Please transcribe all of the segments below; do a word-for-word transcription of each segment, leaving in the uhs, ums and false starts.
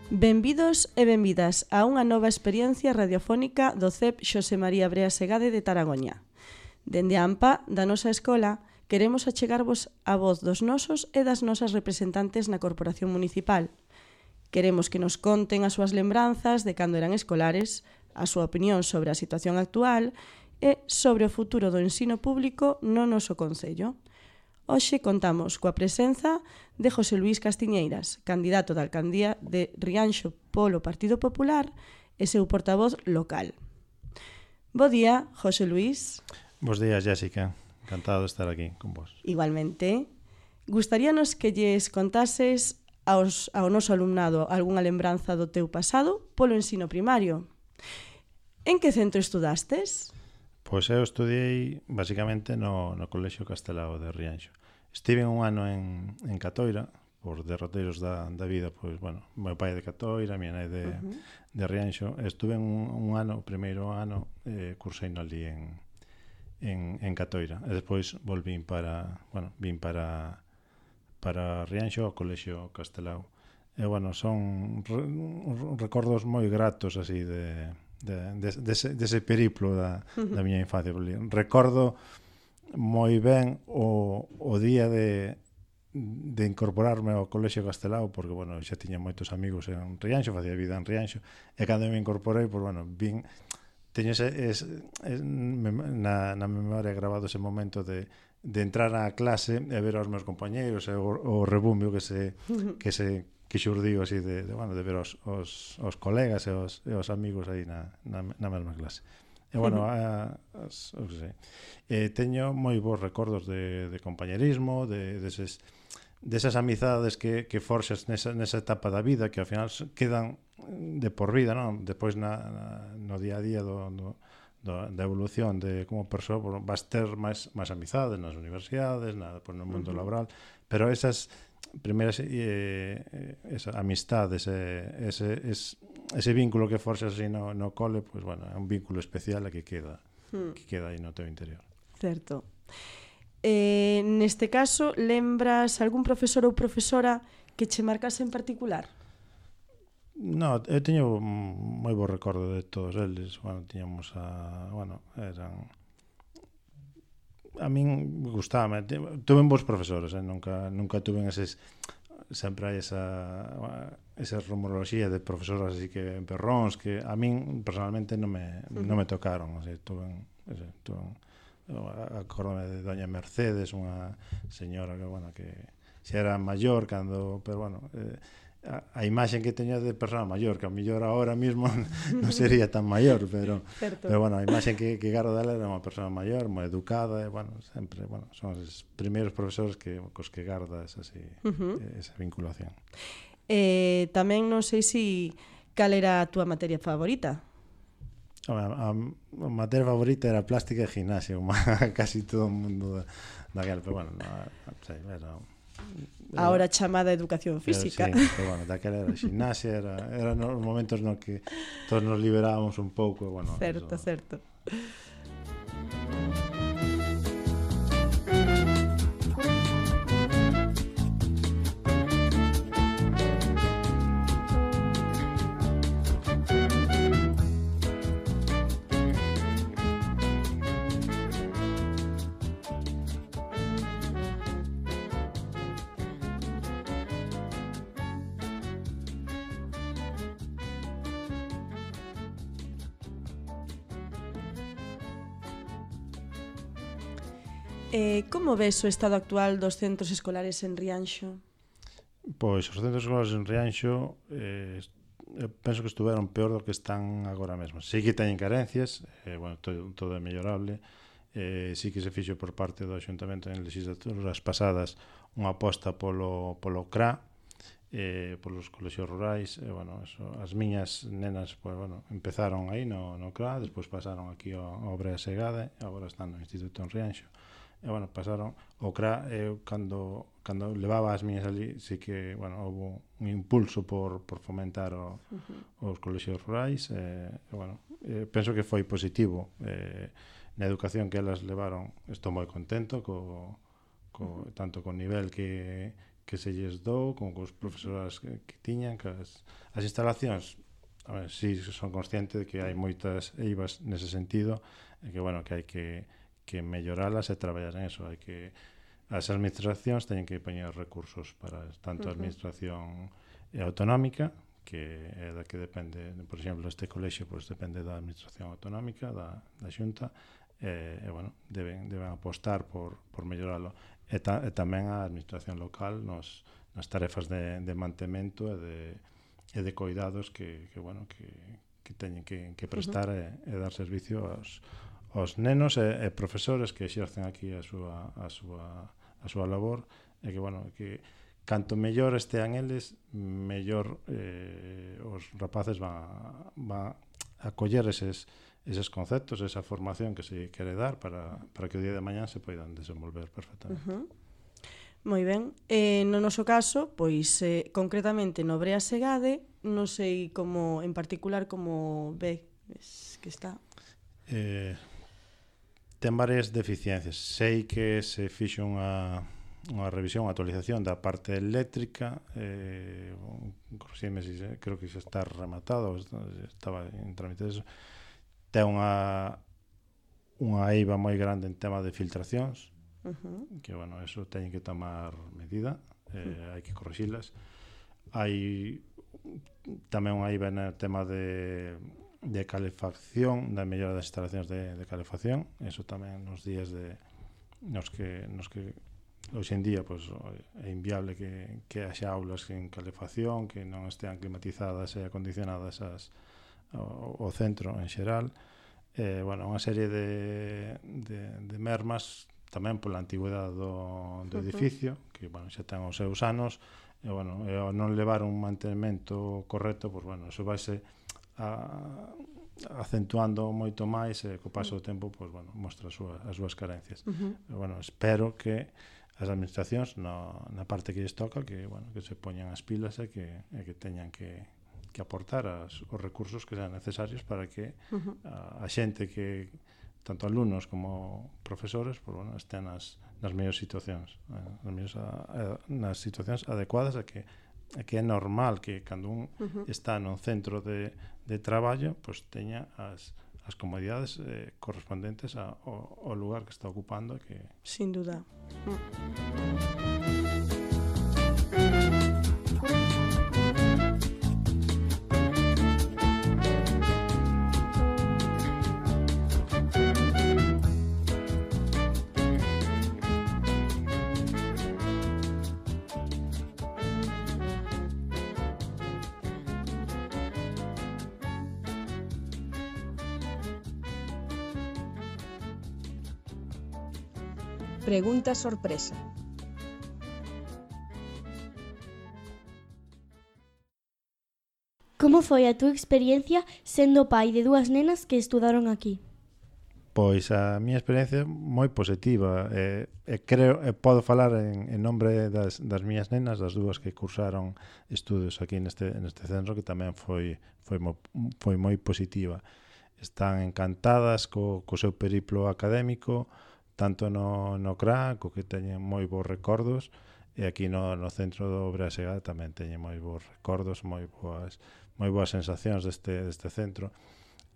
Benvidos e benvidas a unha nova experiencia radiofónica do C E P Xosé María Brea Segade de Taragoña. Dende a AMPA da nosa escola, queremos achegarvos a voz dos nosos e das nosas representantes na Corporación Municipal. Queremos que nos conten as súas lembranzas de cando eran escolares, a súa opinión sobre a situación actual e sobre o futuro do ensino público no noso concello. Hoxe contamos coa presenza de José Luís Castiñeiras, candidato da alcaldía de Rianxo polo Partido Popular e seu portavoz local. Bo día, José Luís. Bos días, Jessica. Encantado de estar aquí con vos. Igualmente. Gustaríanos que lles contases aos, ao noso alumnado algunha lembranza do teu pasado polo ensino primario. En que centro estudastes? Pois eu estudiei basicamente no, no Colexio Castelao de Rianxo. Estive un ano en, en Catoira, por derroteiros da, da vida, pois, bueno, meu pai é de Catoira, minha nai de, uh-huh. de Rianxo. Estuve un, un ano, o primeiro ano, eh, cursei no ali en, en, en Catoira. E despois volvín para, bueno, vin para, para Rianxo, ao Colexio Castelao. E, bueno, son re, recordos moi gratos, así, de... De, de, dese, dese periplo da, da miña infancia. Recordo moi ben o, o día de, de incorporarme ao Colexio Castelao, porque, bueno, xa tiña moitos amigos en Rianxo, facía vida en Rianxo, e cando me incorporei, pues, bueno, vin, teño ese, ese, ese na, na memoria grabado ese momento de, de entrar á clase e ver aos meus compañeiros e o, o rebumbio que se, que se que xurdiu así de, de, bueno, de ver os, os, os colegas e os, e os amigos aí na, na, na mesma clase. E, bueno, a, as, os, sei, eh, teño moi bons recordos de, de compañerismo, de, deses, desas amizades que, que forxas nesa, nesa etapa da vida, que ao final quedan de por vida, non? Depois na, na, no día a día do, do, do, da evolución de como persoa, bueno, vas ter máis, máis amizades nas universidades, na, pues, no mundo uh-huh. laboral, pero esas primeiras eh, esa amistade, ese, ese, ese, ese vínculo que forxas así no, no cole, pues, bueno, é un vínculo especial a que queda, hmm. que queda aí no teu interior. Certo. Eh, neste caso, lembras algún profesor ou profesora que che marcase en particular? No, eu teño moi bo recordo de todos eles. Bueno, tiñamos a... Bueno, eran... A min gustaba, tuve bons profesores, eh? nunca, nunca tuve eses, sempre hai esa, esa rumoroloxía de profesoras así que perróns, que a min personalmente non me, uh-huh. non me tocaron, o sea, tuve, ese, tuve acordome de doña Mercedes, unha señora que, bueno, que xa era maior cando, pero bueno, eh, a, a imaxe que teño de persona maior, que a mellor ahora mismo non sería tan maior, pero, pero bueno, a imaxe que, que gardo dela era unha persona maior, moi educada, e, bueno, sempre, bueno, son os primeiros profesores que, cos que gardas así, uh-huh. esa vinculación. Eh, tamén non sei se cal era a túa materia favorita? A, a, a materia favorita era plástica e gimnasia, casi todo o mundo daquela, pero bueno, no, non sei, era... Ahora chamada educación física. Pero, sí, pero bueno, daquela era gimnasia, era, eran os momentos no que todos nos liberábamos un pouco, bueno, certo, eso... certo. Eh, como ves o estado actual dos centros escolares en Rianxo? Pois os centros escolares en Rianxo eh, penso que estuveron peor do que están agora mesmo. Sí que teñen carencias, eh, bueno, todo, todo é mellorable, eh, sí que se fixo por parte do Ayuntamento en legislaturas pasadas unha aposta polo, polo C R A, eh, polos colexios rurais, e, bueno, eso, as miñas nenas, pues, bueno, empezaron aí no, no C R A, despois pasaron aquí ao, ao Brea Segade, e agora están no Instituto en Rianxo. E, bueno, pasaron o C R A, eu cando, cando levaba as miñas ali, sí que, bueno, houve un impulso por, por fomentar o, uh-huh. os colexios rurais, e, e bueno, eh, penso que foi positivo, eh, na educación que elas levaron, estou moi contento, co, co, tanto co nivel que, que se lles dou, con os profesoras que, que tiñan, que as, as instalacións, a ver, si son consciente de que hai moitas eivas nese sentido, e que, bueno, que hai que, que melloralas e traballar en eso, hai que as administracións teñen que poñer recursos para tanto a administración autonómica, que é da que depende, por exemplo, este colexio pois depende da administración autonómica, da, da xunta, e, e bueno, deben, deben apostar por, por melloralo. E, ta, e tamén a administración local nos, nas tarefas de, de mantemento e de, e de cuidados que, que, bueno, que, que teñen que, que prestar uh-huh. e, e dar servicio aos, aos nenos e, e profesores que exercen aquí a súa, a súa, a súa labor, e que, bueno, que canto mellor estean eles, mellor eh, os rapaces van a, van a coller eses, eses conceptos, esa formación que se quere dar para, para que o día de mañán se poidan desenvolver perfectamente. Uh-huh. Moi ben. Eh, no noso caso, pois, eh, concretamente no Brea Segade, non sei como, en particular, como ve que está. Eh, ten varias deficiencias. Sei que se fixo unha unha revisión, unha actualización da parte eléctrica, eh, corrixime si creo que xa está rematado, estaba en trámite eso. Ten unha unha eiva moi grande en tema de filtracións, uh-huh. que, bueno, eso teñen que tomar medida, eh, uh-huh. hai que correxilas. Hai tamén unha eiva no tema de, de calefacción, da mellora das instalacións de, de calefacción, eso tamén nos días de nos que, nos que hoxe en día pues, é inviable que, que haxa aulas en calefacción, que non estean climatizadas e acondicionadas as, o, o centro en xeral. Eh, bueno, unha serie de, de, de mermas tamén pola antigüedade do, do edificio, que, bueno, xa ten os seus anos, e, bueno, e ao non levar un mantenimento correcto, pues, bueno, eso vaise a, acentuando moito máis, e co paso do tempo, pues, bueno, mostra as súas, as súas carencias. Uh-huh. E, bueno, espero que as administracións no, na parte que lles toca que, bueno, que se poñan as pilas e que, e que teñan que, que aportar as, os recursos que sean necesarios para que uh-huh. a, a xente que tanto alumnos como profesores pues, bueno, estén nas, nas mellores situacións eh, nas, mellores, a, a, nas situacións adecuadas a que, a que é normal que cando un uh-huh. está nun centro de, de traballo pues teña as as comodidades eh, correspondentes a, ao, ao lugar que está ocupando que... Sin duda. Mm. Pregunta sorpresa. Como foi a túa experiencia sendo pai de dúas nenas que estudaron aquí? Pois a miña experiencia moi positiva. E, e creo, e podo falar en, en nombre das, das miñas nenas, das dúas que cursaron estudos aquí neste, neste centro, que tamén foi, foi, mo, foi moi positiva. Están encantadas co, co seu periplo académico, tanto no, no C R A, co que teñen moi bons recordos, e aquí no, no centro do Brea Segade tamén teñen moi bons recordos, moi boas, moi boas sensacións deste, deste centro.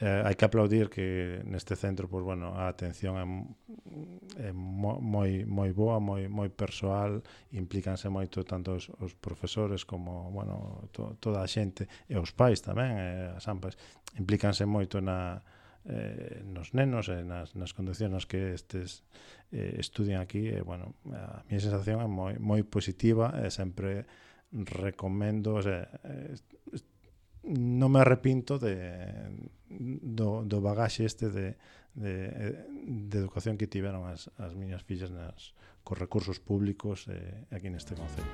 Eh, hai que aplaudir que neste centro, pues, bueno, a atención é, é moi, moi boa, moi, moi persoal, implícanse moito tanto os, os profesores como, bueno, to, toda a xente, e os pais tamén, e as ampas, implícanse moito na Eh, nos nenos e nas, nas condicións nas que estes eh, estudian aquí e, bueno, a miña sensación é moi, moi positiva e sempre recomendo, o sea, eh, non me arrepinto de, do, do bagaxe este de, de, de educación que tiveron as, as miñas fillas nas, cos recursos públicos eh, aquí neste concello.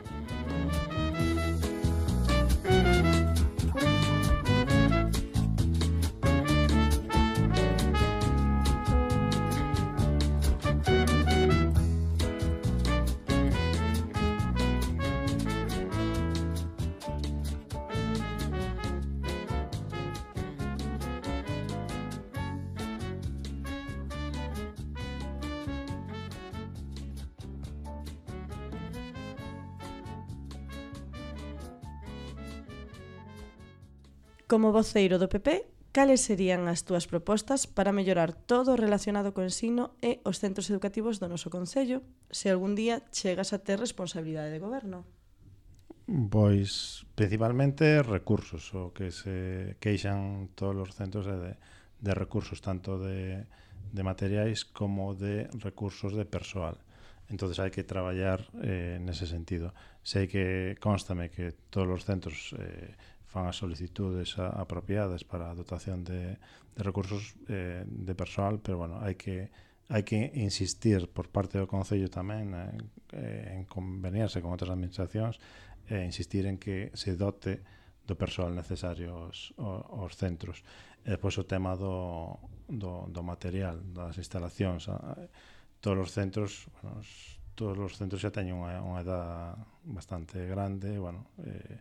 Como voceiro do P P, cales serían as túas propostas para mellorar todo o relacionado co ensino e os centros educativos do noso concello, se algún día chegas a ter responsabilidade de goberno? Pois, principalmente, recursos. O que se queixan todos os centros é de, de recursos, tanto de, de materiais como de recursos de persoal. Entonces hai que traballar eh, nese sentido. Sei que constame que todos os centros eh, fan as solicitudes a, apropiadas para a dotación de, de recursos eh, de persoal, pero bueno, hai que hai que insistir por parte do Concello tamén eh, en conveniarse con outras administracións e eh, insistir en que se dote do persoal necesario aos, aos centros. E depois o tema do, do, do material, das instalacións. Todos os centros, bueno, todos os centros xa teñen unha, unha edad bastante grande, bueno, eh,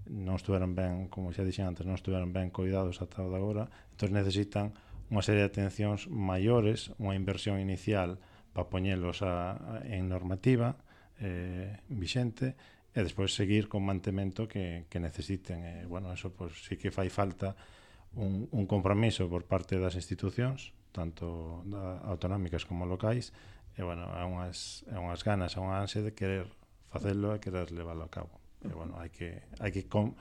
non estuveron ben, como xa dixen antes, non estuveron ben cuidados ata o de agora, entón necesitan unha serie de atencións maiores, unha inversión inicial para poñelos a, a, en normativa eh, vixente, e despois seguir con mantemento que, que necesiten. E, bueno, eso pues, sí que fai falta un, un compromiso por parte das institucións, tanto da, autonómicas como locais, e, bueno, é unhas, é unhas ganas, é unha ansia de querer facelo e querer leválo a cabo. E, bueno, hai que, hai que, con,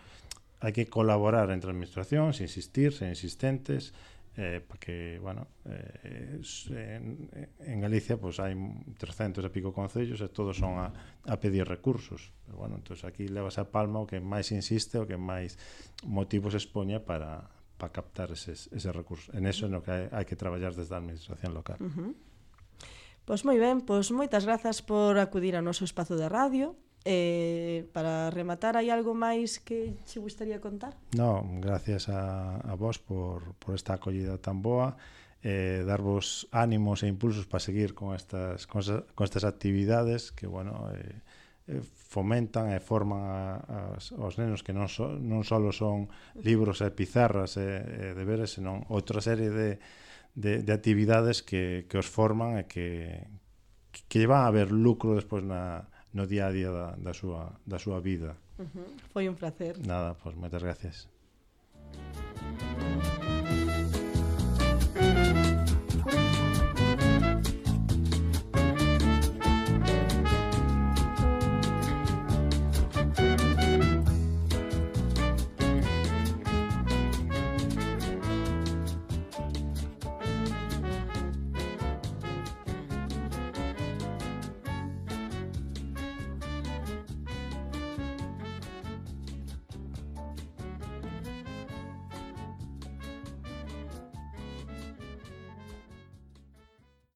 hai que colaborar entre administracións, insistir, ser insistentes, eh, para que, bueno, eh, en, en Galicia pues, hai trescentos e pico concellos e todos son a, a pedir recursos. Pero, bueno, entonces aquí levas a palma o que máis insiste, o que máis motivos expoña para, para captar eses, eses recursos. En eso é no que hai, hai que traballar desde a administración local. Uh-huh. Pois moi ben, pois moitas grazas por acudir ao noso espazo de radio. Eh, para rematar, hai algo máis que che gustaría contar? No, gracias a, a vos por, por esta acollida tan boa, eh, darvos ánimos e impulsos para seguir con estas, con, con estas actividades que, bueno, eh, eh, fomentan e forman a, a, aos nenos que non, so, non só son libros e pizarras e, e deberes, senón outra serie de, de, de actividades que, que os forman e que, que van a haber lucro despois na no día a día da, da, súa, da súa vida. Uh-huh. Foi un placer. Nada, pois, pues, moitas gracias.